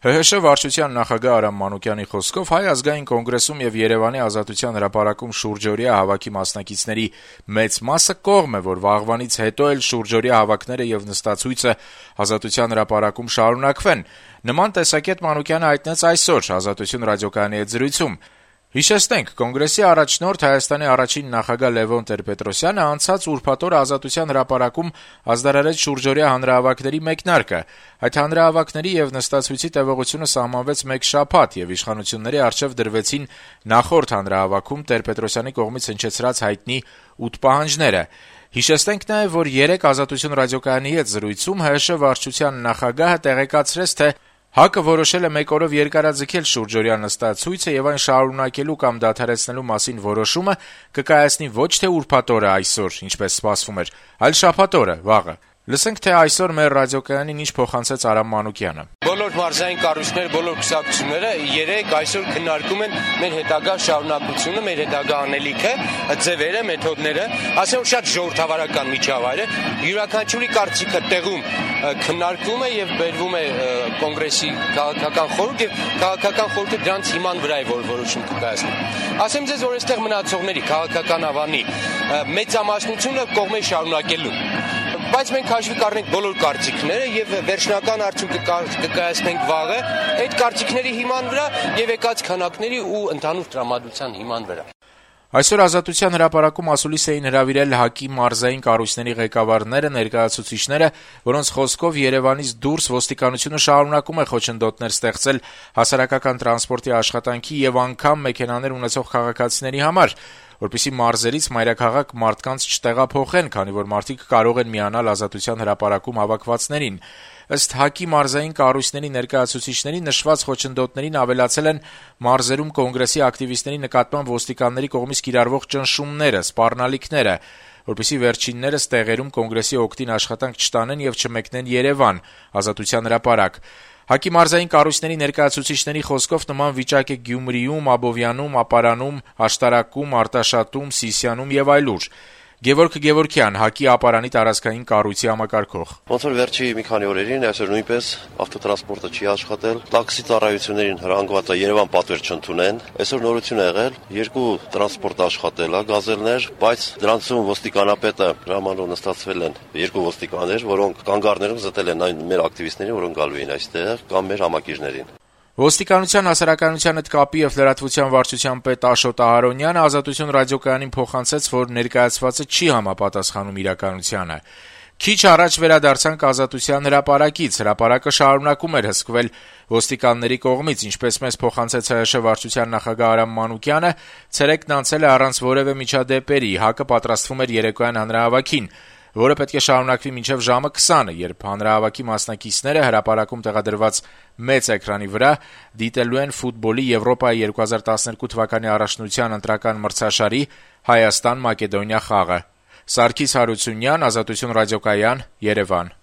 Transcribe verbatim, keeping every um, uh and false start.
Հ Հ Շ վարչության նախագահ Արամ Մանուկյանի խոսքով Հայ ազգային կոնգրեսում եւ Երեւանի Ազատության հրապարակում շուրջօրյա հավաքի մասնակիցների մեծ մասը կողմ է, որ վաղվանից հետո էլ շուրջօրյա հավաքները եւ նստացույցը Ազատության հրապարակում շարունակվեն։ Նման տեսակետ Մանուկյանը հայտնեց այսօր Ազատություն ռադիոկայանի հետ զրույցում։ Հիշեցնենք, կոնգրեսի առաջնորդ Հայաստանի առաջին նախագահ Լևոն Տեր-Պետրոսյանը անցած ուրբաթ օրը Ազատության հրապարակում ազդարարեց շուրջօրյա հանրահավաքների մեկնարկը։ Այդ հանրահավաքների եւ նստացույցի տևողությունը սահմանվեց մեկ շաբաթ եւ իշխանությունների առջեւ դրվեցին նախորդ հանրահավաքում Տեր-Պետրոսյանի կողմից հնչեցրած հայտնի ութ պահանջները։ Հիշեցնենք նաեւ, որ երեկ Ազատություն ռադիոկայանի հետ զրույցում Հ Հ Շ վարչության նախագահը տեղեկացրեց, թե Հ Ա Կը որոշել է մեկ օրով երկարաձգել շուրջօրյա նստացույցը եւ այն շարունակելու կամ դադարեցնելու մասին որոշումը կկայացնի ոչ թե ուրբաթ օրը այսօր, ինչպես սպասվում էր, այլ շաբաթ օրը, վաղը։ Լսենք, թե այսօր մեր ռադիոկայանին ինչ փոխանցեց Արամ Մանուկյանը։ Բոլոր մարզային կառույցները, բոլոր կուսակցությունները երեք այսօր քննարկում են մեր հետագա շարունակությունը, մեր հետագա անելիքը, ձևերը, մեթոդները, ասեմ շատ ժողովրդավարական միջավայր է, յուրաքանչյուրի կարծիքը տեղում քննարկվում է եւ բերվում է կոնգրեսի քաղաքական խորհուրդ եւ քաղաքական խորհուրդը դրանց հիման վրա է որ որոշում կկայացնի։ Ասեմ ձեզ, որ այստեղ մնացողների քաղաքական ավանի մեծամասնությունը կողմ է շարունակելու։ Բայց մենք հաշվի կառնենք բոլոր կարծիքները եւ վերջնական արդյունքը կկայացնենք վաղը այդ կարծիքների հիման վրա եւ եկած քանակների ու ընդհանուր տրամադրության հիման վրա։ Այսօր Ազատության հրապարակում ասուլիս էին հրավիրել Հ Ա Կի մարզային կառույցների ղեկավարները, ներկայացուցիչները, որոնց խոսքով Երևանից դուրս ոստիկանությունը շարունակում է խոչընդոտներ ստեղծել հասարակական տրանսպորտի աշխատանքի եւ անգամ մեքենաներ ունեցող քաղաքացիների համար, որպեսզի մարզերից մայրաքաղաք մարդկանց չտեղափոխեն, քանի որ մարդիկ կարող են միանալ Ազատության հրապարակում հավաքվածներին։ Ըստ Հ Ա Կի մարզային կառույցների ներկայացուցիչների նշված խոչընդոտներին ավելացել են մարզերում կոնգրեսի ակտիվիստների նկատմամբ ոստիկանների կողմից կիրառվող ճնշումները, սպառնալիքները, որպեսզի վերջիններս տեղերում կոնգրեսի օգտին աշխատանք չտանեն եւ չմեկնեն Երևան, Ազատության հրապարակ։ Հ Ա Կի մարզային կառույցների ներկայացուցիչների խոսքով նման վիճակ է Գյումրիում, Աբովյանում, Ապարանում, Աշտարակում, Արտաշատում, Սիսիանում եւ այլուր։ Գևորգ Գևորգյան, Հ Ա Կի ապարանի տարածքային կառույցի համակարգող։ Ոնց որ վերջի մի քանի օրերին այսօր նույնպես ավտոտրանսպորտը չի աշխատել, տաքսի ծառայություններին հրանգված է Երևան պատվեր չընդունեն։ Այսօր նորություն ա եղել, երկու տրանսպորտ աշխատել է, գազելներ, բայց դրանցում ոստիկանապետը ժամանակ նստածվել են երկու ոստիկաններ, որոնք կանգառներում զտել են այն մեր ակտիվիստներին, որոնք գալու էին այստեղ, կամ մեր համակիչներին։ Ոստիկանության հասարակայնության հետ կապի եւ լրատվության վարչության պետ Աշոտ Ահարոնյանը Ազատություն ռադիոկայանին փոխանցեց, որ ներկայացվածը չի համապատասխանում իրականությանը։ Քիչ առաջ վերադարձանք Ազատության հրապարակից, հրապարակը շարունակում էր հսկվել ոստիկանների կողմից, ինչպես մեզ փոխանցեց Հ Հ Շ վարչության նախագահ Արամ Մանուկյանը, ցերեկն անցել է առանց որևէ միջադեպերի, Հ Ա Կը պատրաստվում էր երեկոյան հանրահավաքին, որը պետք է շարունակվի մինչև ժամը քսանը, երբ հանրահավաքի մասնակիցները հրապարակում տեղադրված մեծ էկրանի վրա դիտելու են ֆուտբոլի Եվրոպայի երկու հազար տասներկու թվականի առաջնության ընտրական մրցաշարի Հայաստան-Մակեդոնիա խաղը։ Սարգիս Հարությունյան, Ազատություն ռադիոկայան, Երևան։